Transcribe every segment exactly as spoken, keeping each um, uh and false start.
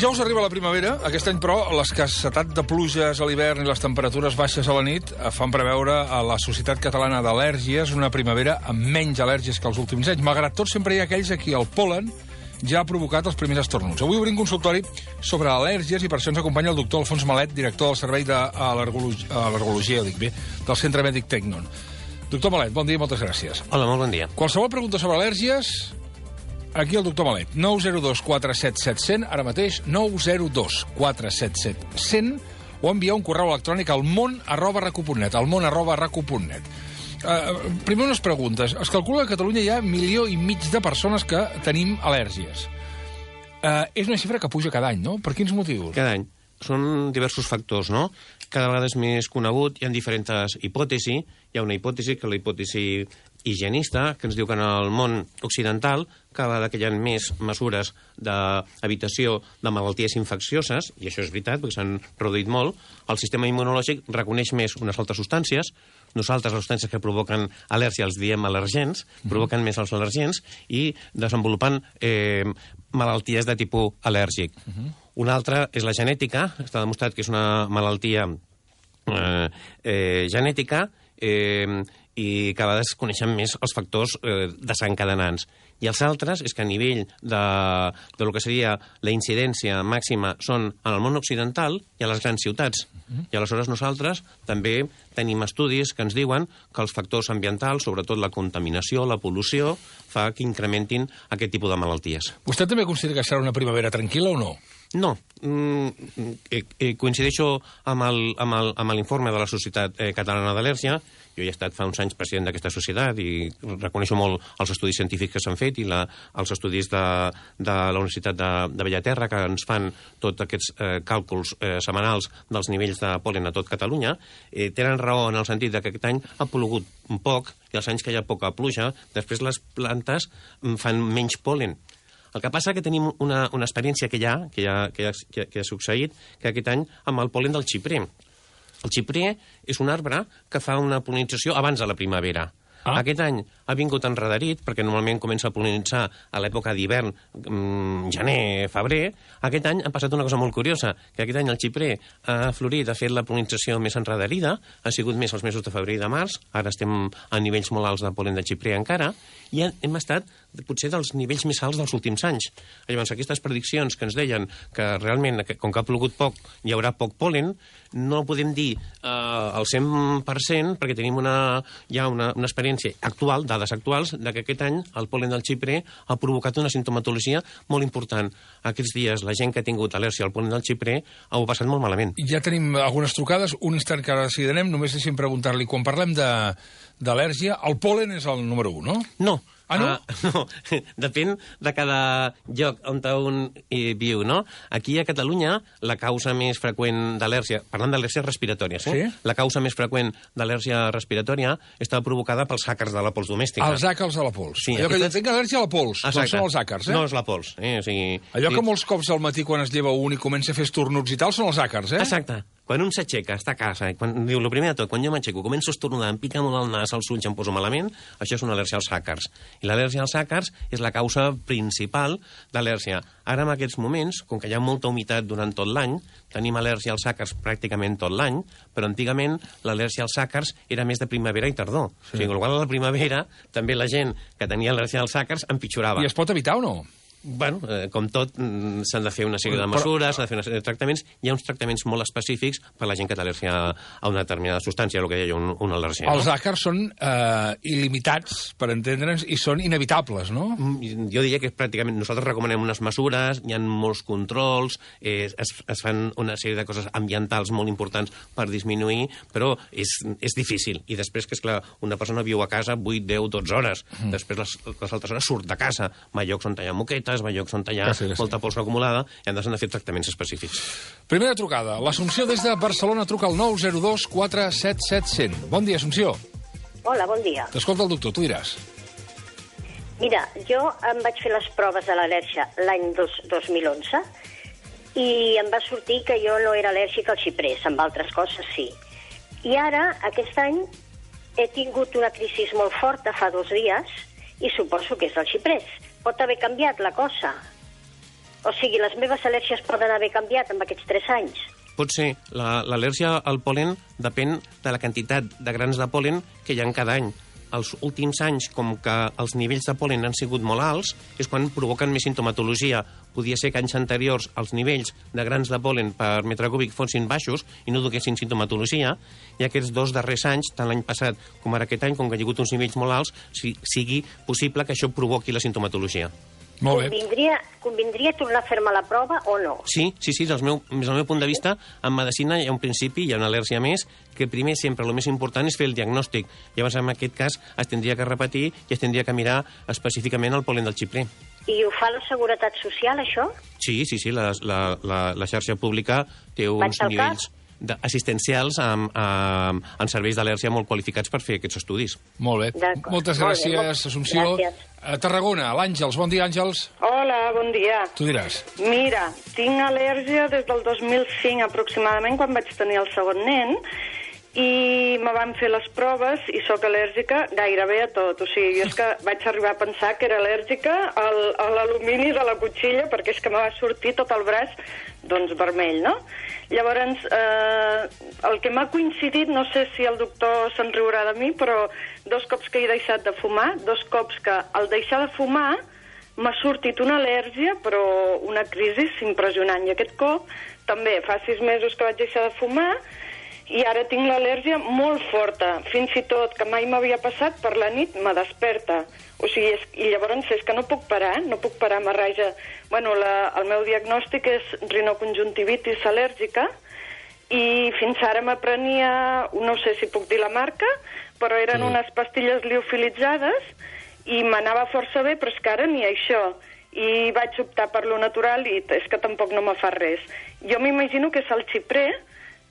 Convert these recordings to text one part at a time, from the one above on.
Dijous arriba la primavera. Aquest any, però, l'escassetat de pluges a l'hivern i les temperatures baixes a la nit fan preveure a la Societat Catalana d'Al·lèrgies una primavera amb menys al·lèrgies que els últims anys. Malgrat tot, sempre hi ha aquells a qui el pol·len ja ha provocat els primers estornuts. Avui obrim consultori sobre al·lèrgies i per això ens acompanya el doctor Alfons Malet, director del Servei d'Al·lergologia, dic bé, del Centre Mèdic Tecnon. Doctor Malet, bon dia i moltes gràcies. Hola, molt bon dia. Qualsevol pregunta sobre al·lèrgies, aquí el doctor Malet. nou zero dos quatre set set zero zero, ara mateix, nou zero dos quatre set set zero zero, o enviar un correu electrònic al món arroba racu punt net, al món arroba racu punt net. Uh, primer unes preguntes. Es calcula que a Catalunya hi ha milió i mig de persones que tenim al·lèrgies. Uh, és una xifra que puja cada any, no? Per quins motius? Cada any. Són diversos factors, no? Cada vegada és més conegut, hi ha diferents hipòtesis. Hi ha una hipòtesi, que és la hipòtesi higienista, que ens diu que en el món occidental cada vegada que hi ha més mesures d'evitació de malalties infeccioses, i això és veritat, perquè s'han reduït molt, el sistema immunològic reconeix més unes altres substàncies. Nosaltres, les substàncies que provoquen al·lèrgia els diem al·lergens, provoquen més els al·lergens i desenvolupen eh, malalties de tipus al·lèrgic. Uh -huh. Una altra és la genètica. Està demostrat que és una malaltia eh, eh, genètica eh, i cada vegada es coneixen més els factors eh, desencadenants. I els altres és que a nivell de, de lo que seria la incidència màxima són en el món occidental i a les grans ciutats. Uh-huh. I aleshores nosaltres també tenim estudis que ens diuen que els factors ambientals, sobretot la contaminació, la pol·lució, fa que incrementin aquest tipus de malalties. Vostè també considera que serà una primavera tranquil·la o no? No. Mm, eh, eh, coincideixo amb l'informe de la Societat eh, Catalana d'Al·lèrgia. Jo he estat fa uns anys president d'aquesta societat i reconeixo molt els estudis científics que s'han fet i la, els estudis de, de la Universitat de, de Bellaterra, que ens fan tots aquests eh, càlculs eh, setmanals dels nivells de pol·len a tot Catalunya. Eh, tenen raó en el sentit que aquest any ha plogut un poc i els anys que hi ha poca pluja, després les plantes fan menys pol·len. El que passa que tenim una, una experiència que hi ha, que, ha, que, ha, que, ha, que ha succeït, que aquest any amb el pol·len del xiprer. El xiprer és un arbre que fa una pol·linització abans de la primavera. Ah. Aquest any ha vingut enrederit, perquè normalment comença a pol·linitzar a l'època d'hivern, mmm, gener, febrer. Aquest any ha passat una cosa molt curiosa, que aquest any el xiprer ha florit, ha fet la pol·linització més enrederida, ha sigut més els mesos de febrer i de març, ara estem a nivells molt alts de pol·len de xiprer encara, i hem estat potser dels nivells més alts dels últims anys. Llavors, aquestes prediccions que ens deien que realment, com que ha plogut poc, hi haurà poc pol·len, no podem dir eh, al cent per cent, perquè tenim una, ja una, una experiència actual, dades actuals, de que aquest any el pol·len del xiprer ha provocat una sintomatologia molt important. Aquests dies la gent que ha tingut al·lèrgia al pol·len del xiprer ho ha passat molt malament. Ja tenim algunes trucades, un instant que ara decidirem, només deixem preguntar-li, quan parlem d'al·lèrgia, el pol·len és el número un, no? No. Ah, no? Uh, no, depèn de cada lloc on un hi viu, no? Aquí a Catalunya la causa més freqüent d'al·lèrgia, parlant d'al·lèrgies respiratòries, eh? Sí? La causa més freqüent d'al·lèrgia respiratòria està provocada pels àcars de la pols domèstica. Els àcars de la pols. Sí, allò aquesta... que tinc al·lèrgia a la pols, Exacte. doncs són els àcars, eh? No és la pols, eh? O sigui... Allò que molts cops al matí quan es lleva un i comença a fer estornuts i tal són els àcars, eh? Exacte. Quan un s'aixeca, està a casa, quan, diu, el primer de tot, quan jo m'aixeco, començo a estornudar, em pica molt el nas, els ulls, em poso malament, això és una al·lèrgia als àcars. I l'al·lèrgia als àcars és la causa principal d'al·lèrgia. Ara, en aquests moments, com que hi ha molta humitat durant tot l'any, tenim al·lèrgia als àcars pràcticament tot l'any, però antigament l'al·lèrgia als àcars era més de primavera i tardor. Sí. O sigui, igual a la primavera, també la gent que tenia al·lèrgia als àcars empitjorava. I es pot evitar o no? Bueno, eh, com tot, s'han de fer una sèrie de mesures, s'han de fer una sèrie de tractaments. Hi ha uns tractaments molt específics per a la gent que té al·lèrgia a una determinada substància, el que deia un, un al·lèrgia. Els àcars són eh, il·limitats, per entendre'ns, i són inevitables, no? Jo diria que pràcticament nosaltres recomanem unes mesures, hi ha molts controls, eh, es, es fan una sèrie de coses ambientals molt importants per disminuir, però és, és difícil. I després que, esclar, una persona viu a casa vuit, deu, dotze hores. Mm. Després les, les altres hores surt de casa. Va a llocs on hi ha moquetes, va a llocs on hi ha sí, sí. molta pols acumulada i han de fer tractaments específics. Primera trucada. L'Assumpció des de Barcelona truca al nou zero dos quatre set set zero zero. Bon dia, Assumpció. Hola, bon dia. T'escolta el doctor, tu diràs. Mira, jo em vaig fer les proves de l'al·lèrgia l'any dos mil onze i em va sortir que jo no era al·lèrgic al xiprers, amb altres coses sí. I ara, aquest any, he tingut una crisi molt forta fa dos dies i suposo que és del xiprers. Pot haver canviat la cosa. O sigui, les meves al·lèrgies poden haver canviat en aquests tres anys? Pot ser. L'al·lèrgia al pol·len depèn de la quantitat de grans de pol·len que hi ha cada any. Els últims anys, com que els nivells de pol·len han sigut molt alts, és quan provoquen més sintomatologia. Podia ser que anys anteriors els nivells de grans de pol·len per metre cúbic fossin baixos i no duguessin sintomatologia, i aquests dos darrers anys, tant l'any passat com ara aquest any, com que hi ha hagut uns nivells molt alts, sigui possible que això provoqui la sintomatologia. Molt bé. Convindria, convindria tornar a fer-me la prova o no? Sí, sí, sí, des del meu, des del meu punt de vista, en medicina hi ha un principi, hi ha una al·lèrgia més, que primer sempre el més important és fer el diagnòstic. Llavors, en aquest cas, es tindria que repetir i es tindria que mirar específicament el pol·len del xiprer. I ho fa la Seguretat Social, això? Sí, sí, sí, la, la, la, la xarxa pública té uns nivells assistencials amb, amb, amb serveis d'al·lèrgia molt qualificats per fer aquests estudis. Molt bé. Moltes gràcies, molt bé. Assumpció. Gràcies. A Tarragona, l'Àngels. Bon dia, Àngels. Hola, bon dia. Tu diràs. Mira, tinc al·lèrgia des del dos mil cinc aproximadament, quan vaig tenir el segon nen, i me van fer les proves i sóc al·lèrgica gairebé a tot. O sigui, jo és que vaig arribar a pensar que era al·lèrgica al, a l'alumini de la cotxilla, perquè és que me va sortir tot el braç, doncs, vermell, no? Llavors, eh, el que m'ha coincidit, no sé si el doctor se'n riurà de mi, però dos cops que he deixat de fumar, dos cops que al deixar de fumar m'ha sortit una al·lèrgia, però una crisi impressionant. I aquest cop, també, fa sis mesos que vaig deixar de fumar, i ara tinc l'al·lèrgia molt forta, fins i tot que mai m'havia passat, per la nit me desperta. O sigui, és, i llavors és que no puc parar, no puc parar, m'arraja. Bueno, la, el meu diagnòstic és rinoconjuntivitis al·lèrgica, i fins ara m'aprenia, no sé si puc dir la marca, però eren unes pastilles liofilitzades, i m'anava força bé, però és que ara ni això. I vaig optar per lo natural, i és que tampoc no me fa res. Jo m'imagino que és el xiprer,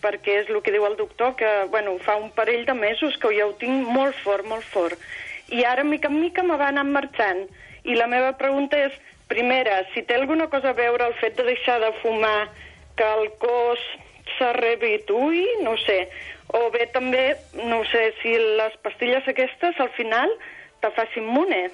perquè és el que diu el doctor, que bueno, fa un parell de mesos que ja ho tinc molt fort, molt fort. I ara, mica en mica, me va anar marxant. I la meva pregunta és, primera, si té alguna cosa a veure el fet de deixar de fumar, que el cos s'arrebituï, no sé. O bé també, no sé, si les pastilles aquestes, al final, te facin immune.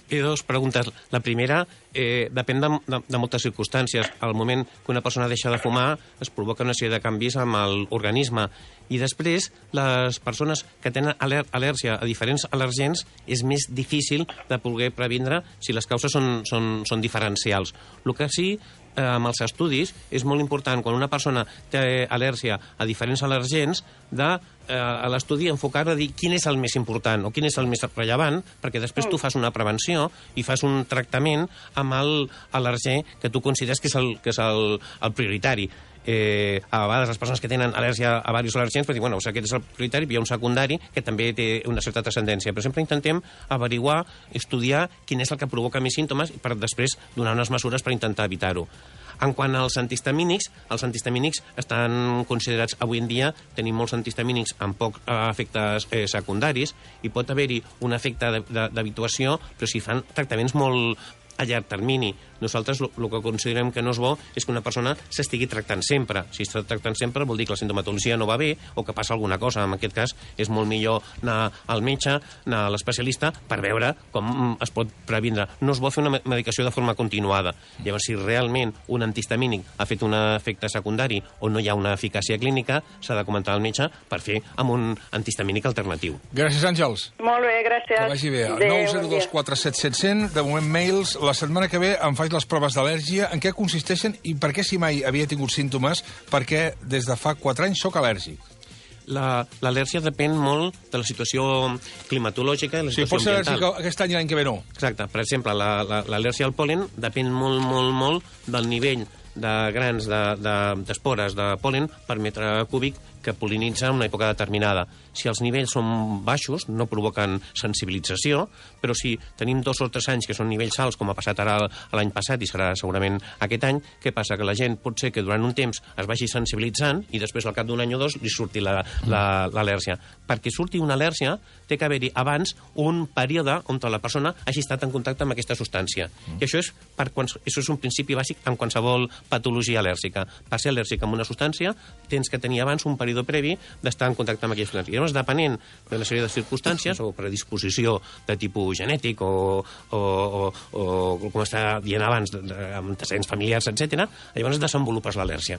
Hi ha dues preguntes. La primera, eh, depèn de, de, de moltes circumstàncies. Al moment que una persona deixa de fumar, es provoca una sèrie de canvis amb l'organisme. I després, les persones que tenen al·lèr al·lèrgia a diferents al·lèrgens, és més difícil de poder previndre si les causes són, són, són diferencials. El que sí, eh, amb els estudis, és molt important, quan una persona té al·lèrgia a diferents al·lèrgens, de eh, a l'estudi enfocar a dir quin és el més important o quin és el més rellevant, perquè després tu fas una prevenció i fas un tractament amb l'al·lèrger que tu consideres que és el, que és el, el prioritari. Eh, a vegades les persones que tenen al·lèrgia a diversos al·lèrgens per dir, bueno, aquest és el prioritari, hi ha un secundari que també té una certa transcendència, però sempre intentem averiguar, estudiar quin és el que provoca més símptomes per després donar unes mesures per intentar evitar-ho. En quant als antihistamínics, els antihistamínics estan considerats avui en dia, tenim molts antihistamínics amb pocs eh, efectes eh, secundaris, i pot haver-hi un efecte d'habituació, però si fan tractaments molt a llarg termini. Nosaltres el que considerem que no és bo és que una persona s'estigui tractant sempre. Si està tractant sempre vol dir que la sintomatologia no va bé o que passa alguna cosa. En aquest cas és molt millor anar al metge, anar a l'especialista per veure com es pot previndre. No és bo fer una medicació de forma continuada. Llavors, si realment un antihistamínic ha fet un efecte secundari o no hi ha una eficàcia clínica, s'ha de comentar al metge per fer amb un antihistamínic alternatiu. Gràcies, Àngels. Molt bé, gràcies. Que vagi bé. nou zero dos quatre set set zero zero, de moment mails. La setmana que ve em faig les proves d'al·lèrgia. En què consisteixen i per què, si mai havia tingut símptomes, perquè des de fa quatre anys sóc al·lèrgic? L'al·lèrgia depèn molt de la situació climatològica i la situació sí, pot ser al·lèrgic aquest any i l'any que ve no. Exacte. Per exemple, l'al·lèrgia al pol·len depèn molt, molt, molt del nivell de grans d'espores de, de, de pol·len per metre cúbic que pol·linitza en una època determinada. Si els nivells són baixos, no provoquen sensibilització, però si tenim dos o tres anys que són nivells alts, com ha passat ara l'any passat i serà segurament aquest any, què passa? Que la gent pot ser que durant un temps es vagi sensibilitzant i després al cap d'un any o dos li surti l'al·lèrgia. Perquè surti una al·lèrgia té que haver-hi abans un període on la persona hagi estat en contacte amb aquesta substància. I això és, per, això és un principi bàsic en qualsevol patologia al·lèrgica. Per ser al·lèrgic amb una substància tens que tenir abans un període període previ d'estar en contacte amb aquelles substàncies. Llavors, depenent de una sèrie de circumstàncies, o predisposició de tipus genètic, o, o, o, o com està dient abans, amb antecedents familiars, etcètera, llavors desenvolupes l'al·lèrgia.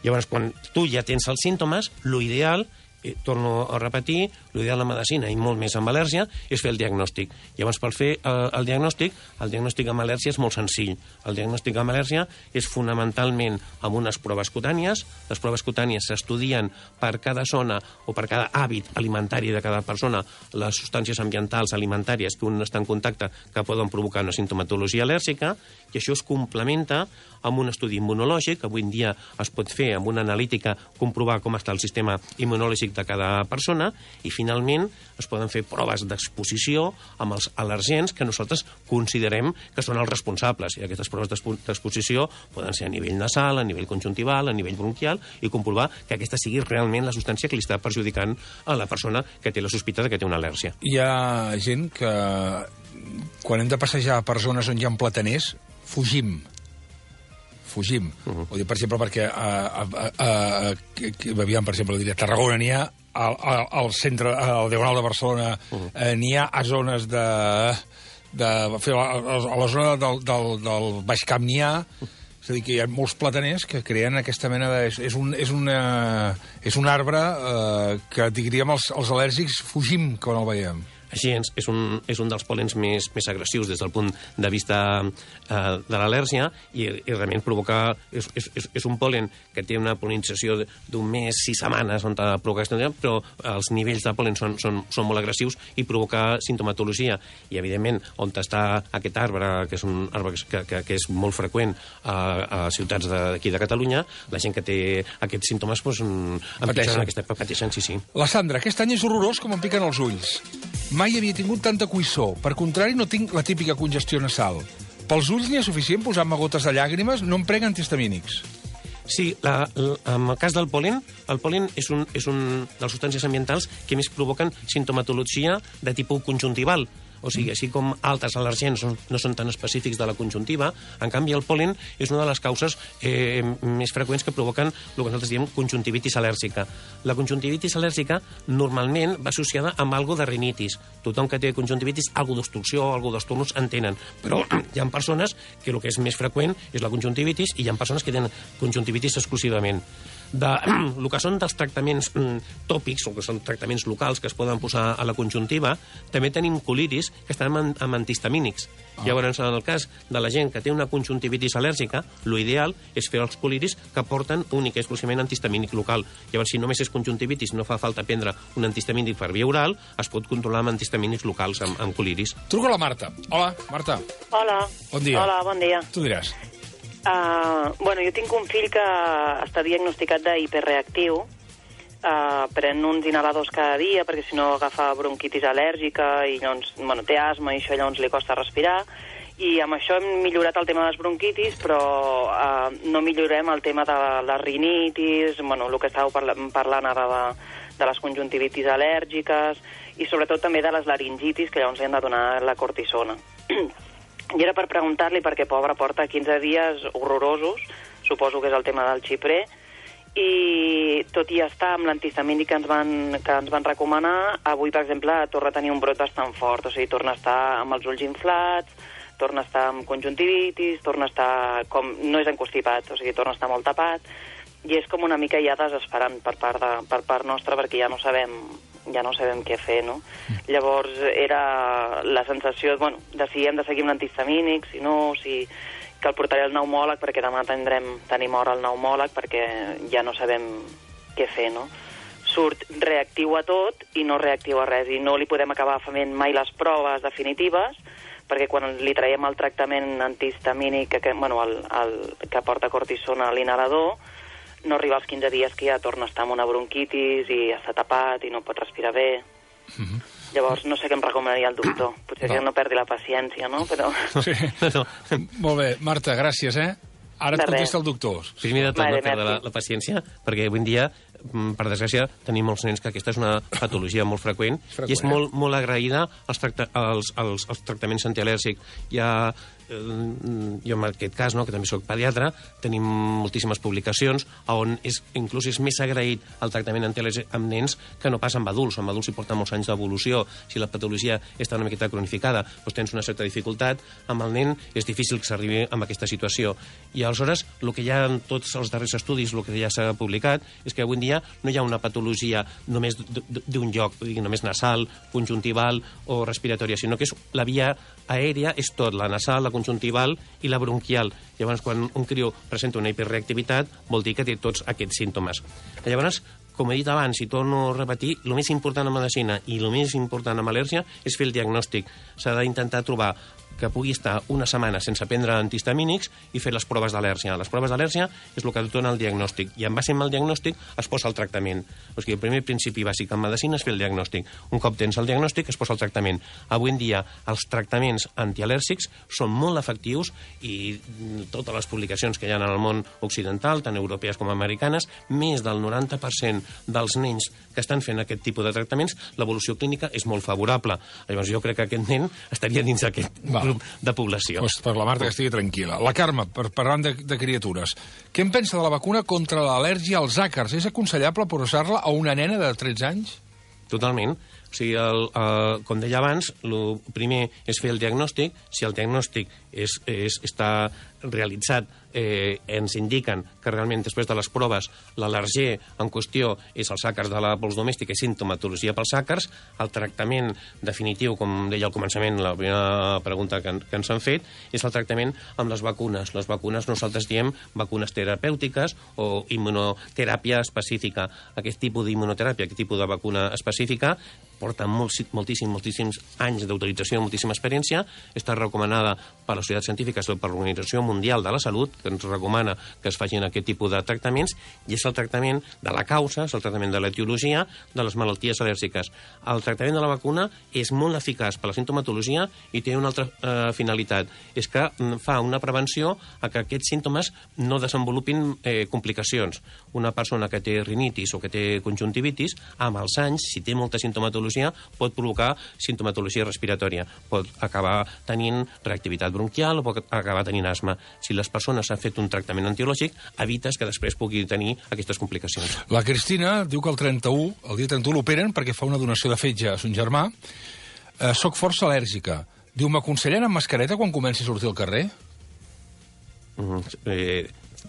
Llavors, quan tu ja tens els símptomes, l'ideal, eh, torno a repetir, l'ideal de medicina, i molt més amb al·lèrgia, és fer el diagnòstic. Llavors, per fer el, el diagnòstic, el diagnòstic amb al·lèrgia és molt senzill. El diagnòstic amb al·lèrgia és fonamentalment amb unes proves cutànies. Les proves cutànies s'estudien per cada zona o per cada hàbit alimentari de cada persona, les substàncies ambientals alimentàries que un està en contacte que poden provocar una sintomatologia al·lèrgica, i això es complementa amb un estudi immunològic, que avui en dia es pot fer amb una analítica, comprovar com està el sistema immunològic de cada persona, i finalment es poden fer proves d'exposició amb els al·lergens que nosaltres considerem que són els responsables. I aquestes proves d'exposició poden ser a nivell nasal, a nivell conjuntival, a nivell bronquial, i comprovar que aquesta sigui realment la substància que li està perjudicant a la persona que té la sospita de que té una al·lèrgia. Hi ha gent que, quan hem de passejar per zones on hi ha plataners, fugim. Fugim. Uh -huh. Ho dic, per exemple, perquè a, a, a, a, aviam, per exemple, diria, a Tarragona n'hi ha, al, al centre, al Diagonal de Barcelona, uh -huh. eh, n'hi ha a zones de... de a, a la zona del, del, del Baix Camp n'hi ha... És a dir, que hi ha molts plataners que creen aquesta mena de... És, és, un, és, una, és un arbre eh, que, diríem, els, els al·lèrgics fugim quan el veiem. Així és, és un, és un dels pol·lens més, més agressius des del punt de vista eh, de l'al·lèrgia, i, i realment provoca... És, és, és un pol·len que té una pol·linització d'un mes, sis setmanes, on provoca aquesta, però els nivells de pol·len són, són, són molt agressius i provoca sintomatologia. I, evidentment, on està aquest arbre, que és un arbre que, que, que és molt freqüent a, a ciutats d'aquí de, de Catalunya, la gent que té aquests símptomes doncs, empitjoren aquesta... Pateixen, sí, sí. La Sandra, aquest any és horrorós com em piquen els ulls. Mai havia tingut tanta cuissó. Per contrari, no tinc la típica congestió nasal. Pels ulls n'hi ha suficient posant-me gotes de llàgrimes? No em prenc antihistamínics. Sí, la, la, en el cas del pol·len, el pol·len és un, és un de les substàncies ambientals que més provoquen sintomatologia de tipus conjuntival. O sigui, així com altres al·lergens no són tan específics de la conjuntiva, en canvi el pol·len és una de les causes eh, més freqüents que provoquen el que nosaltres diem conjuntivitis al·lèrgica. La conjuntivitis al·lèrgica normalment va associada amb algo de rinitis. Tothom que té conjuntivitis, algo d'obstrucció, algo d'esturnus en tenen. Però hi ha persones que el que és més freqüent és la conjuntivitis, i hi ha persones que tenen conjuntivitis exclusivament. De, el que són dels tractaments mm, tòpics, o que són tractaments locals que es poden posar a la conjuntiva, també tenim colitis que estan amb, amb antihistamínics. Ah. Llavors, en el cas de la gent que té una conjuntivitis al·lèrgica, l'ideal és fer els colitis que porten únic i exclusivament antihistamínic local. Llavors, si només és conjuntivitis, no fa falta prendre un antihistamínic per via oral, es pot controlar amb antihistamínics locals, amb, amb colitis. Truco a la Marta. Hola, Marta. Hola. Bon dia. Hola, bon dia. Tu diràs. Uh, bueno, jo tinc un fill que està diagnosticat d'hiperreactiu, uh, pren uns inhaladors cada dia perquè si no agafa bronquitis al·lèrgica i llavors, bueno, té asma i això llavors li costa respirar, i amb això hem millorat el tema de les bronquitis, però uh, no millorem el tema de les rinitis, bueno, el que estàveu parla parlant ara de, de les conjuntivitis al·lèrgiques i sobretot també de les laringitis, que llavors li han de donar la cortisona. I era per preguntar-li, perquè pobre porta quinze dies horrorosos, suposo que és el tema del xiprer, i tot i estar amb l'antihistamínic que ens van, que ens van recomanar, avui, per exemple, torna a tenir un brot bastant fort, o sigui, torna a estar amb els ulls inflats, torna a estar amb conjuntivitis, torna a estar com... no és encostipat, o sigui, torna a estar molt tapat, i és com una mica ja desesperant per part, de, per part nostra, perquè ja no sabem... ja no sabem què fer, no? Llavors era la sensació, bueno, de si hem de seguir amb l'antihistamínic, si no, si que el portaré al pneumòleg, perquè demà tindrem, tenim hora al pneumòleg, perquè ja no sabem què fer, no? Surt reactiu a tot i no reactiu a res, i no li podem acabar fent mai les proves definitives, perquè quan li traiem el tractament antihistamínic, que, bueno, el, el, que porta cortisona a l'inhalador, no arriba als quinze dies que ja torna a estar amb una bronquitis i està tapat i no pot respirar bé. Uh-huh. Llavors, no sé què em recomanaria el doctor. Potser que no perdi la paciència, no? Però... Sí. Molt bé. Marta, gràcies, eh? Ara et contesta el doctor. Primer de tot, no perdre la, la paciència, perquè avui en dia per desgràcia, tenim molts nens que aquesta és una patologia molt freqüent, freqüent. i és molt, molt agraïda als, tracta als, als, als tractaments antialèrgics. Hi ha jo en aquest cas, no, que també soc pediatre, tenim moltíssimes publicacions on és, inclús és més agraït el tractament antialèrgic amb nens que no pas amb adults. Amb adults hi porten molts anys d'evolució. Si la patologia està una miqueta cronificada, doncs tens una certa dificultat. Amb el nen és difícil que s'arribi a aquesta situació. I aleshores, el que hi ha en tots els darrers estudis, el que ja s'ha publicat, és que avui en dia no hi ha una patologia només d'un lloc, només nasal, conjuntival o respiratòria, sinó que és la via aèria, és tot, la nasal, la conjuntival i la bronquial. Llavors, quan un criu presenta una hiperreactivitat, vol dir que té tots aquests símptomes. Llavors, com he dit abans, i torno a repetir, el més important en medicina i el més important en al·lèrgia és fer el diagnòstic. S'ha d'intentar trobar que pugui estar una setmana sense prendre antihistamínics i fer les proves d'al·lèrgia. Les proves d'al·lèrgia és el que et dona el diagnòstic, i en base al diagnòstic es posa el tractament. O sigui, el primer principi bàsic en medicina és fer el diagnòstic. Un cop tens el diagnòstic, es posa el tractament. Avui en dia, els tractaments antialèrgics són molt efectius i totes les publicacions que hi ha en el món occidental, tant europees com americanes, més del noranta per cent dels nens que estan fent aquest tipus de tractaments, l'evolució clínica és molt favorable. Llavors, jo crec que aquest nen estaria dins d'aquest grup de població. Pues per la Marta que estigui tranquil·la. La Carme, per parlant de, de criatures, què en pensa de la vacuna contra l'al·lèrgia als àcars? És aconsellable posar-la a una nena de tretze anys? Totalment. O sigui, el, el, com deia abans, el primer és fer el diagnòstic. Si el diagnòstic és, és, està realitzat, eh, ens indiquen que realment després de les proves l'al·lèrgia en qüestió és els àcars de la pols domèstica i sintomatologia pels àcars, el tractament definitiu, com deia al començament, la primera pregunta que, que ens han fet, és el tractament amb les vacunes. Les vacunes nosaltres diem vacunes terapèutiques o immunoteràpia específica. Aquest tipus d'immunoteràpia, aquest tipus de vacuna específica, porta molts, moltíssims, moltíssims anys d'autorització, moltíssima experiència, està recomanada per les societats científiques o per l'Organització Mundial de la Salut, que ens recomana que es facin aquest tipus de tractaments, i és el tractament de la causa, és el tractament de l'etiologia de les malalties al·lèrgiques. El tractament de la vacuna és molt eficaç per la sintomatologia i té una altra eh, finalitat, és que fa una prevenció a que aquests símptomes no desenvolupin eh, complicacions. Una persona que té rinitis o que té conjuntivitis, amb els anys, si té molta sintomatologia, pot provocar sintomatologia respiratòria, pot acabar tenint reactivitat bronquial o pot acabar tenint asma. Si les persones han fet un tractament antiològic, evites que després pugui tenir aquestes complicacions. La Cristina diu que el trenta-u, el dia trenta-u l'operen perquè fa una donació de fetge a son germà. Eh, soc força al·lèrgica. Diu, m'aconsellen amb mascareta quan comenci a sortir al carrer? Mm, eh...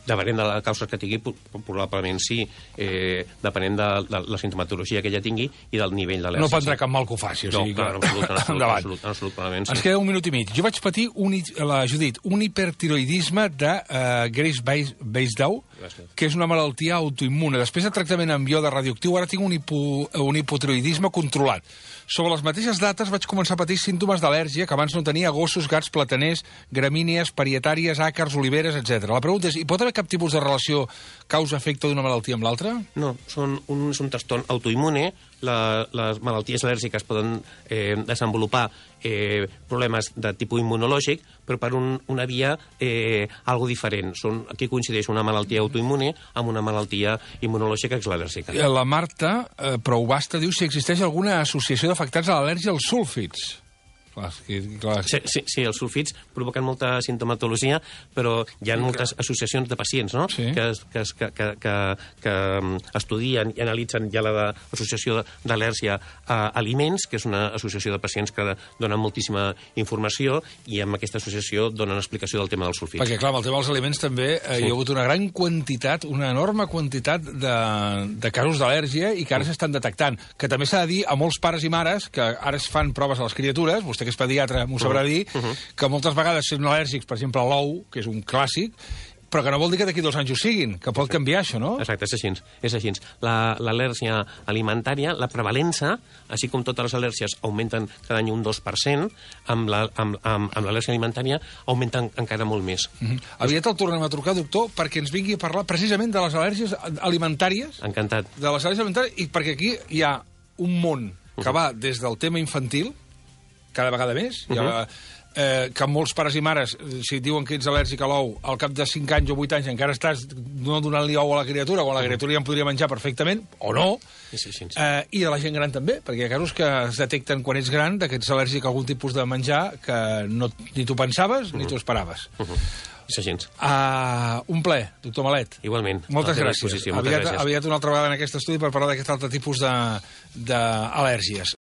Depenent de la causa que tingui, probablement sí, eh, depenent de, de la sintomatologia que ella tingui i del nivell d'al·lèrgia. No prendrà cap mal que ho faci. O sigui, no, clar, en absolut, en absolut, en absolut, en absolut, probablement sí. Ens queda un minut i mig. Jo vaig patir, un, la Judit, un hipertiroidisme de uh, Graves-Basedow, que és una malaltia autoimmune. Després de tractament amb iode radioactiu, ara tinc un, hipo, un hipotiroidisme controlat. Sobre les mateixes dates vaig començar a patir símptomes d'al·lèrgia que abans no tenia a gossos, gats, plataners, gramínies, parietàries, àcars, oliveres, etcètera. La pregunta és, hi pot haver cap tipus de relació causa-efecte d'una malaltia amb l'altra? No, són un, és un trastorn autoimmune. La, les malalties al·lèrgiques poden eh, desenvolupar eh, problemes de tipus immunològic, però per un, una via eh, algo diferent. Són, aquí coincideix una malaltia autoimmune amb una malaltia immunològica que és l'al·lèrgica. La Marta, eh, prou basta, diu si existeix alguna associació d'afectats a l'al·lèrgia als súlfits. Clar, clar. Sí, sí, sí, els sulfits provoquen molta sintomatologia, però hi ha moltes associacions de pacients, no? Sí. que, que, que, que, que, que estudien i analitzen ja l'associació d'al·lèrgia a aliments, que és una associació de pacients que donen moltíssima informació i amb aquesta associació donen explicació del tema dels sulfits. Perquè, clar, amb el tema dels aliments també eh, sí. hi ha hagut una gran quantitat, una enorme quantitat de, de casos d'al·lèrgia i que ara s'estan detectant. Que també s'ha de dir a molts pares i mares que ara es fan proves a les criatures, vostè que és pediatre m'ho sabrà dir, uh -huh. que moltes vegades són al·lèrgics, per exemple, a l'ou, que és un clàssic, però que no vol dir que d'aquí dos anys ho siguin, que pot canviar això, no? Exacte, és així. És així. L'al·lèrgia alimentària, la prevalença, així com totes les al·lèrgies augmenten cada any un dos per cent, amb l'al·lèrgia la, amb, amb, amb alimentària augmenten encara molt més. Uh -huh. Aviat el tornem a trucar, doctor, perquè ens vingui a parlar precisament de les al·lèrgies alimentàries. Encantat. De les al·lèrgies alimentàries, i perquè aquí hi ha un món que uh -huh. va des del tema infantil, cada vegada més, uh -huh. hi ha eh, que molts pares i mares, si et diuen que ets al·lèrgic a l'ou, al cap de cinc anys o vuit anys encara estàs no donant-li ou a la criatura, quan la criatura ja en podria menjar perfectament, o no, Sí, sí, sí. eh, i de la gent gran també, perquè hi ha casos que es detecten quan ets gran que ets al·lèrgic a algun tipus de menjar que no, ni tu pensaves ni tu esperaves. Uh -huh. És així. Uh, un ple, doctor Malet. Igualment. Moltes gràcies. Moltes Aviat, gràcies. aviat una altra vegada en aquest estudi per parlar d'aquest altre tipus d'al·lèrgies.